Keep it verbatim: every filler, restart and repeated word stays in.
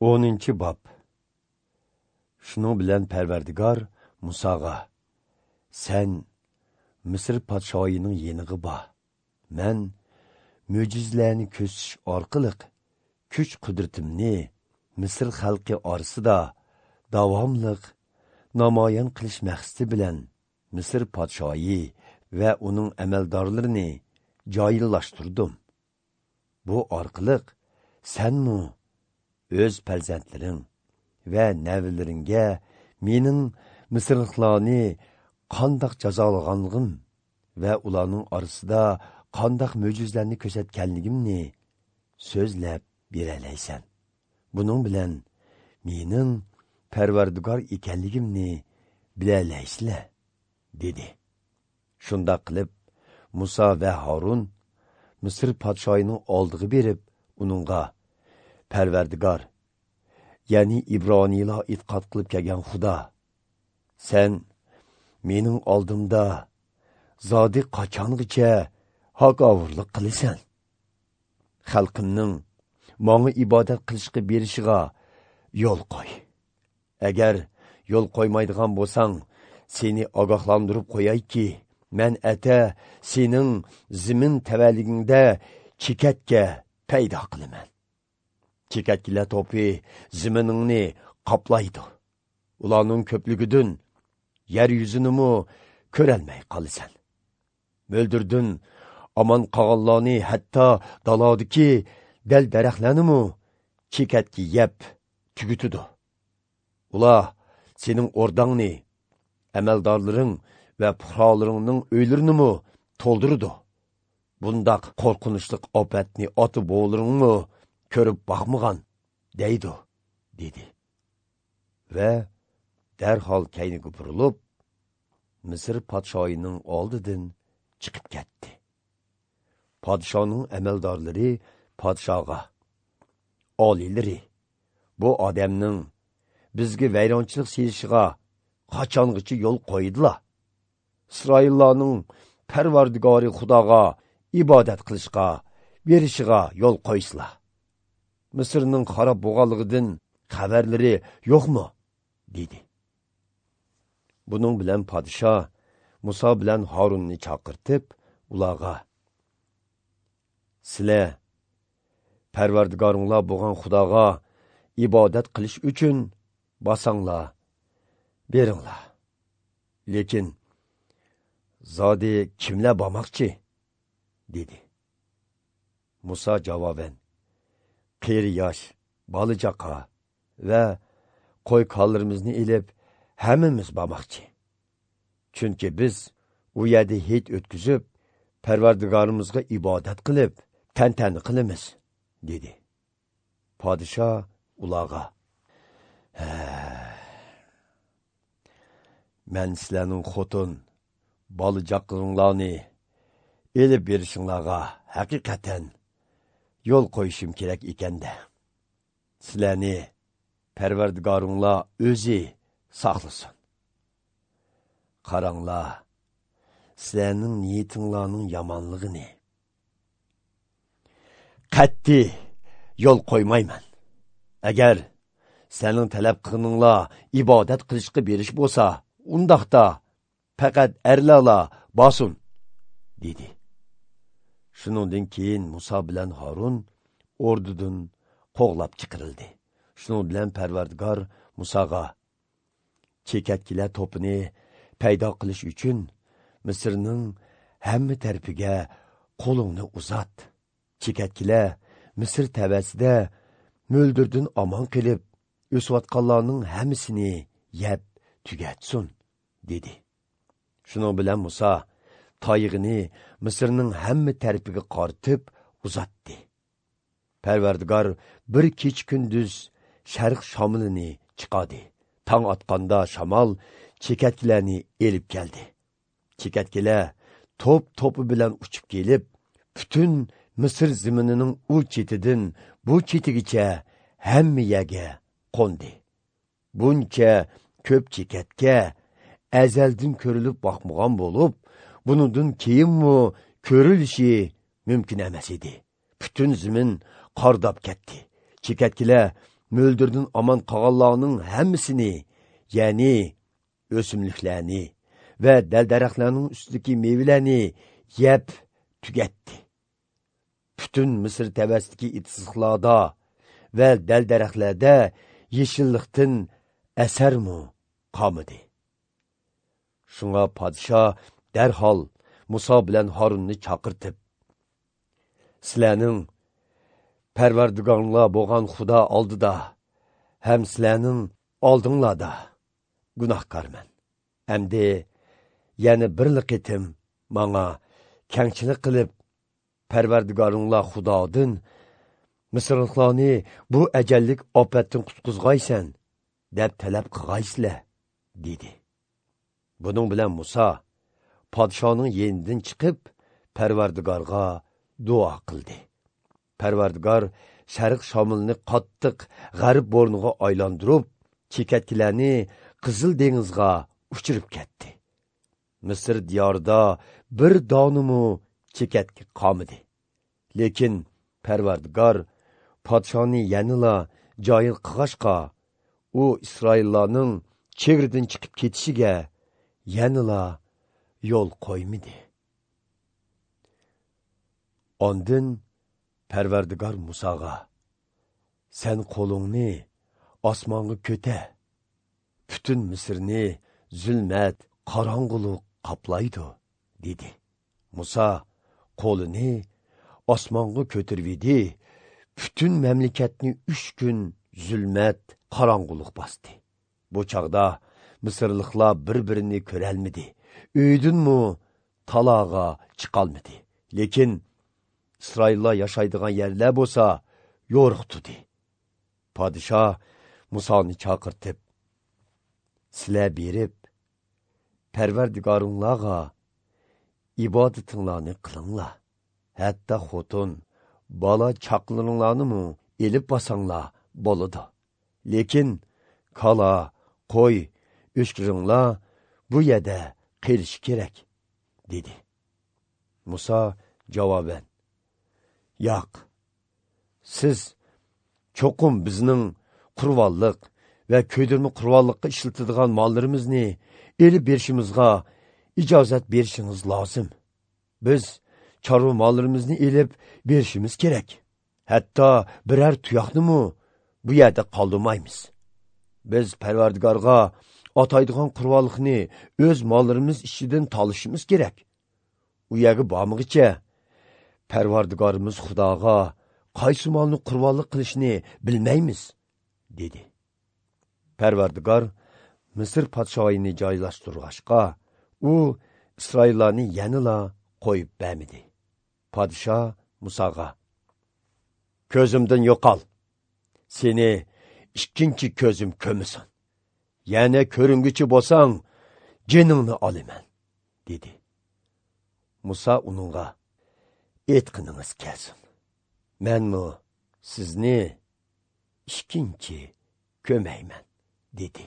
O'ninchi bob. Shuning bilan Parvardigor Musoga: "Sen Misr podshoyining yeniga bor. Men mo'jizalarni ko'rsatish orqali kuch qudratimni Misr xalqi orasida davomliq namoyon qilish maqsadi bilan Misr podshoyi va uning amaldorlarini joyillashtirdim. Bu orqali senmu o'z farzandlaring va navalaringga mening misrliklarni qandoq jazolaganligim va ularning orasida qandoq mo'jizalarni ko'rsatganligimni so'zlab beralaysan. Buning bilan mening Parvardigor ekanligimni bilalaysizlar" dedi. Shundoq qilib Musa va Harun Misr podshoyining oldiga berib, uningga: "Parvardigor, ya'ni Ibroniylar e'tiqod qilib kelgan Xudo, sen mening oldimda zodi qachongacha hakovurlik qilasan? Xalqimning menga ibodat qilishga berishiga yo'l qo'y. Agar yo'l qo'ymaydigan bo'lsang, seni ogohlantirib qo'yayki, men ata sening zimin tavalligingda chekatga paydo qilaman. Chekatkilar to'pi ziminingni qoplaydi. Ularning ko'pligidan yer yuzini ko'rolmay qolasan. Mo'ldirdin omon qolganlarni, hatto dalodiki dal daraxtlarni chekatki yeb tugutidi. Ular sening o'rdangni, amaldorlaring va fuqarolaringning uylarini to'ldirdi. Bundaq qo'rqinchli ofatni ota bovlaringmi ko'rib boqmagan deydi" dedi. Va darhol kayniga burilib, Misr podshoyining oldidan chiqib ketdi. Podshoning amaldorlari podshoga: "Oliylari, bu odamning bizga vayronchilik selishiga qachongacha yo'l qo'ydilar? Isroillarning Parvardigori Xudoga ibodat qilishga berishiga yo'l qo'ysizlar. Misrning xarob bo'lganligidan xabarlari yo'qmi?" dedi. Buning bilan podsho Musa bilan Harunni chaqirtib, ularga: "Sizlar Parvardigoringlar bo'lgan Xudoga ibodat qilish uchun bosanglar, beringlar. Lekin zodi kimlar bormoqchi?" dedi. Musa javoban: "Qeri yosh, bola chaqa va qo'y kollarimizni ilib hammamiz bormoqchi. Chunki biz u yerda hit o'tkazib, Parvardigorimizga ibodat qilib, tantana qilamiz" dedi. Podsho ularga: "Men sizlarning xotin, bola chaqalaringlarni elib berishinglarga haqiqatan yo'l qo'yishim kerak ekanda. Sizlarni Parvardigoringlar o'zi saqlasin. Qaranglar, sizlarning niyatinglarning yomonligini qat'iy yo'l qo'ymayman. Agar sizlarning talab qilganinglar ibodat qilishga berish bo'lsa, undaqda faqat erlarla bosin" dedi. Shuningdan keyin Musa bilan Harun ordudan qo'g'lab chiqarildi. Shuning bilan Parvardigor Musoga: "Chekatkilar to'pini paydo qilish uchun Misrning hamma tarafiga qo'lingni uzat. Chekatkilar Misr tavasida mo'ldirdan omon qilib, o'sayotganlarning hammasini yeb tugatsin" dedi. Shuning bilan Musa tayig'ini Misrning hamma tarafiga qaratib uzatdi. Parvardigor bir kech kunduz sharq shamolini chiqardi. Tong otganda shamol chekatkilarni elib keldi. Chekatkilar to'p to'pi bilan uchib kelib, butun Misr ziminining u chetidan bu chetigacha hamma yerga qo'ndi. Buncha ko'p chekatga azaldan ko'rilib boqmagan bo'lib, buningdan keyinmi ko'rilishi mumkin emas edi. Butun zimin qordab ketdi. Chekatkilar mo'ldirdan omon qolganlarning hammasini, ya'ni o'simliklarni va dal-daraxtlarning ustidagi mevalarni yeb tugatdi. Butun Misr tavasidagi itizliqlarda va dal-daraxtlarda yeshillikdan asarmi qolmadi. Shunga podsho darhol Musa bilan Harunni chaqirtib, sizlarning Parvardigorlar bo'lgan Xudo oldida ham sizlarning oldinglarda gunohkorman. Endi yana bir qitim manga kengchilik qilib, Parvardigoringlar Xudodan Misrliklarni bu ajallik ofatdan qutqizg'aysan deb talab qilg'aysizlar, dedi. Buning bilan Musa podshoning yenidan chiqib Parvardigorga duo qildi. Parvardigor sharq shamolini qattiq g'arb bo'rniga aylantirib, chekatkilarni Qizil dengizga uchirib ketdi. Misr diyorida bir donimu chekatki qolmadi. Lekin Parvardigor podshoni yanala joyil qilg'ashqa, u Isroillarning chegaradan chiqib ketishiga yanala yo'l qo'ymadi. Ondan Parvardigor Musoga: "Sen qo'lingni osmonga ko'tar, butun Misrni zulmat, qorong'ulik qoplaydi", dedi. Muso qo'lini osmonga ko'tardi, butun mamlakatni uch kun zulmat, qorong'ulik bosdi. Bu chog'da Misrliklar bir-birini ko'rolmadi, uydinmi talog'a chiqolmadi. Lekin Isroillar yashaydigan yerlar bo'lsa yo'riq tudi. Podsho Musoni chaqirtib, sizlar berib Parvardigoringlarga ibodatinglarni qilinglar. Hatto xotin, bola chaqlaringlarni elib bosanglar bo'ladi. Lekin kala, qo'y, o'shkiringlar bu yerda qelishi kerak, dedi. Musa javoban: "Yo'q, siz cho'qim bizning qurbonliq va ko'ydirma qurbonliqqa ishlatiladigan mollarimizni elib berishimizga ijozat berishingiz lozim. Biz chorva mollarimizni elib berishimiz kerak. Hatto biror tuyoqnimi bu yerda qoldirmaymiz. Biz Parvardigorga ataydigan qurbonliqni o'z mollarimiz ichidan tolishimiz kerak. U yerga bormag'icha Parvardigorimiz Xudoga qaysi molni qurbonlik qilishni bilmaymiz", dedi. Parvardigor Misr podshoyini joylashtirg'ashqa, u Isroillarni yanala qo'yib bermadi. Podsho Musoga: "Ko'zimdan yo'qol, seni ikkinchi ko'zim ko'misin. Yana ko'ringuchi bo'lsang, jiningni olaman", dedi. Musa uningga: "Aytqiningiz kelsin. Menmi sizni ikkinchi ko'mayman", dedi.